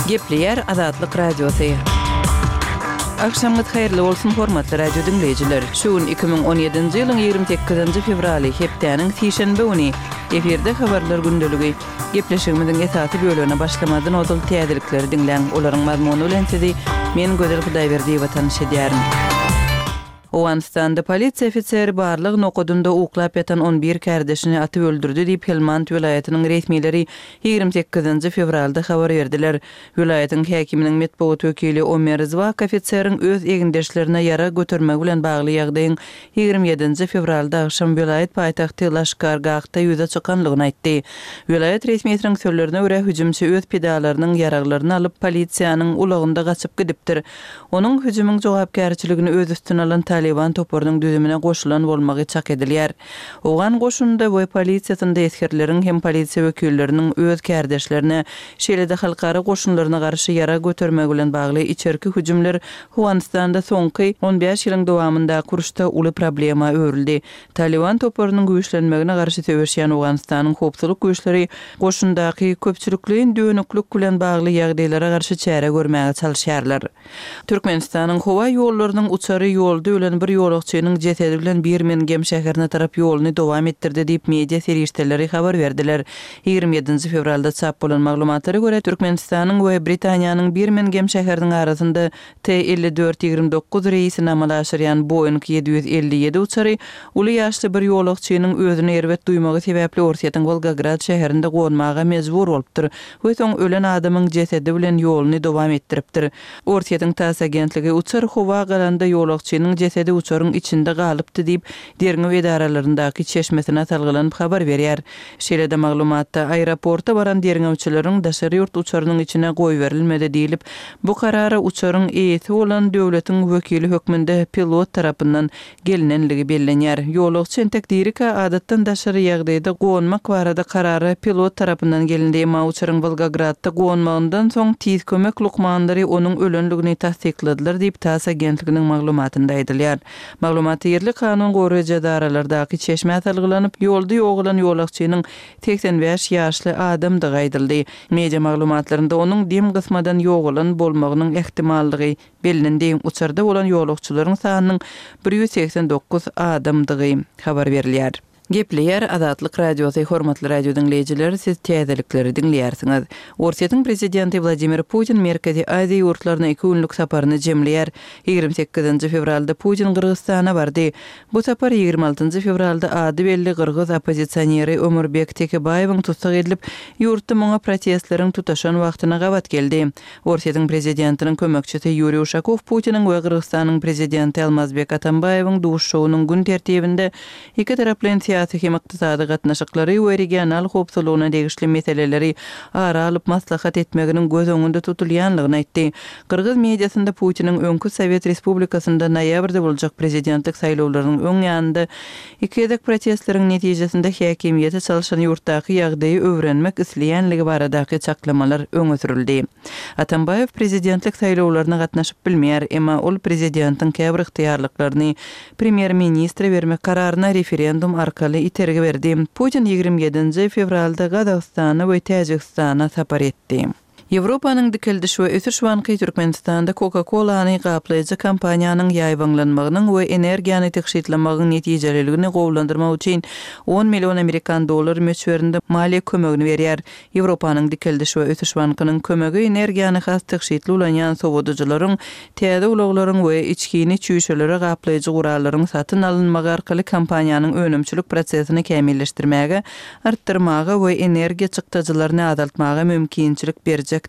Gepleýär Azatlyk Radiosy. Agşamyňyz haýyrly bolsun, hormatly radio diňleýjiler! Şu gün 2017-nji ýylyň 28-nji fewraly, hepdäniň sişenbe güni. Efirde Habarlar gündeligi. Gepleşigimiziň esasy bölegine başlamazdan ozal täzelikleri diňläň. Olaryň mazmuny bilen sizi men Gözel Hudaýberdiýewa tanyş edýärin. Owganystanda polisiýa ofiseri barlag nokadynda uklap ýatan on bir kärdeşini atyp öldürdi diýip, Helmand welaýatynyň resmileri 28-nji fewralda habar berdiler. Welaýatyň häkiminiň metbugat wekili Omer Zwak ofiseriň öz egindeşlerine ýarag götermegi bilen bagly ýagdaýyň 27-nji fewralda agşam welaýat paýtagty Laşkar-Gahda ýüze çykanlygyny aýtdy. Welaýat resmisiniň sözlerine görä, hüjümçi öz pidalarynyň ýaraglaryny alyp, polisiýanyň ulagynda gaçyp gidipdir. Onuň hüjümiň jogapkärçiligini öz üstüne alan Talyban toparynyň düzümine goşulan bolmagy çak edilýär. Owgan goşunynda we polisiýasynda esgerleriň hem polisiýa wekilleriniň öz kärdeşlerine, şeýle-de halkara goşunlaryna garşy ýarag götermegi bilen bagly içerki hüjümler Owganystanda soňky on bäş ýylyň dowamyndaky uruşda uly problema öwrüldi. Talyban toparynyň güýçlenmegine garşy söweşýän Owganystanyň howpsuzlyk güýçleri goşundaky köpçülikleýin dönüklik bilen bagly ýagdaýlara garşy çäre görmäge çalyşýarlar. Türkmenistanyň howa ýollarynyň uçary ýolda ölen bir ýolagçynyň jesedi bilen Birmingem şäherine tarap ýoluny dowam etdirdi diýip, media serişdeleri habar berdiler. 27-nji fewralda çap bolan maglumatlara görä, Türkmenistanyň we Britaniýanyň Birmingem şäheriniň arasynda T 54 29 reýsini amala aşyrýan Boeing 757 uçary uly ýaşly bir ýolagçynyň özüni erbet duýmagy sebäpli Orsýetiň Wolgograd şäherinde gonmaga mejbur bolupdyr we soň ölen adamyň jesedi bilen ýoluny dowam etdiripdir. Orsýetiň TASS agentligi uçar howa galanda ýolagçynyň jesedi uçaryň içinde galypdy diýip, derňew edaralaryndaky çeşmesine salgylanyp habar berýär. Şeýle-de maglumatda, aeroporta baran derňewçileriň daşary ýurt uçarynyň içine goýberilmedi diýlip, bu karara uçaryň eýesi bolan döwletiň wekili hökmünde pilot tarapyndan gelnenligi bellenýär. Ýolagçy entek dirikä adatdan daşary ýagdaýda gonmak barada karara pilot tarapyndan gelindi, emma uçaryň Wolgogradda gonmagyndan soň tiz kömek lukmanlary onuň ölenligini tassykladylar diýip, TASS agentliginiň maglumatynda aýdylýar. Maglumatda ýerli kanun goraýjy edaralardaky çeşmä salgylanyp, ýolda ýogalan ýolagçynyň 85 ýaşly adamdygy aýdyldy. Media maglumatlarynda onuň dem gysmadan ýogalan bolmagynyň ähtimallygy bellendi. Uçarda bolan ýolagçylaryň sanynyň 189 adamdygy habar berilýär. Gepleýär Azatlyk Radiosy, Hormatly radio diňleýjiler, siz täzelikleri diňleýärsiňiz. Orsýetiň prezidenti Wladimir Putin Merkezi Aziýa ýurtlaryna iki günlük saparyny jemleýär. 28-nji fewralda Putin Gyrgyzystana bardy. Bu sapar 26-njy fewralda ady belli gyrgyz oppozisioneri Ömurbek Tekebaýewiň tussag edilip, ýurtda muňa protestleriň tutaşan wagtyna gabat geldi. Orsýetiň prezidentiniň kömekçisi Ýuriý Uşakow Putiniň we Gyrgyzystanyň prezidenti Almazbek Atambaýewiň duşuşygynyň gün tertibinde ikitaraplaýyn syýasy hem ykdysady gatnaşyklary we regional howpsuzlygyna degişli meseleleri ara alyp maslahat etmeginiň göz öňünde tutulýanlygyny aýtdy. Gyrgyz mediasynda Putiniň öňki sowet respublikasynda noýabrda boljak prezidentlik saýlawlarynyň öň ýanynda iki gezek protestleriň netijesinde häkimiýeti çalşan ýurtdaky ýagdaýy öwrenmek isleýänligi baradaky çaklamalar öňe sürüldi. Atambaýew prezidentlik saýlawlaryna gatnaşyp bilmeýär, emma ol prezidentiň käbir ygtyýarlyklaryny premýer-ministre bermek kararyna referendum arkaly itergi berdi. Putin 27-nji fewralda Gazagystana we Täjigistana sapar etdi. Ýewropanyň Dikeldiş we ösüş banky Türkmenistanda Coca-Cola-ny gaplaýjy kompaniýanyň ýaýbaňlanmagynyň we energiýany tygşytlamagyň netijeliligini gowulandyrmak üçin on million amerikan dollary möçberinde maliýe kömegini berýär. Ýewropanyň Dikeldiş we ösüş bankynyň kömegi energiýany has tygşytly ulanýan sowadyjylaryň, täze ulaglaryň we içgini çüýşelere gaplaýjy gurallaryň satyn alynmagy arkaly kompaniýanyň önümçilik prosesini kämilleşdirmäge, artdyrmaga we energiýa çykdajylaryny azaltmaga mümkinçilik berjekdigi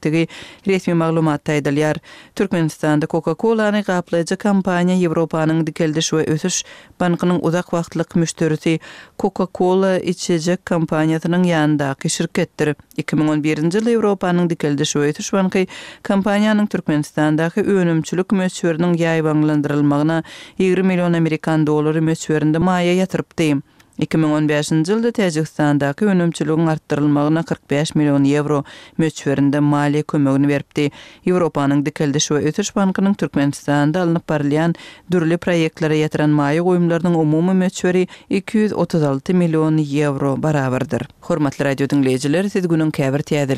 resmi maglumatda aýdylýar. Türkmenistanda Coca-Cola-ny gaplaýjy kompaniýa Ýewropanyň Dikeldiş we ösüş bankynyň uzak wagtlyk müşderisi Coca-Cola içjek kompaniýasynyň ýanyndaky şirketdir. 2011-nji ýylda Ýewropanyň Dikeldiş we ösüş banky kompaniýanyň Türkmenistandaky önümçilik möçberiniň ýaýbaňlandyrylmagyna 20 million amerikan dollary möçberinde maýa ýatyrypdy. 2015-nji ýylda Täjigistandaky önümçiligiň artdyrylmagyna 45 million ýewro möçberinde maliýe kömegini beripdi. Ýewropanyň Dikeldiş we ösüş bankynyň Türkmenistanda alnyp barylýan dürli proýektlere ýatyran maýa goýumlarynyň umumy möçberi 236 million ýewro barabardyr. Hormatly radio diňleýjiler, siz günüň käbir täzeliklerini.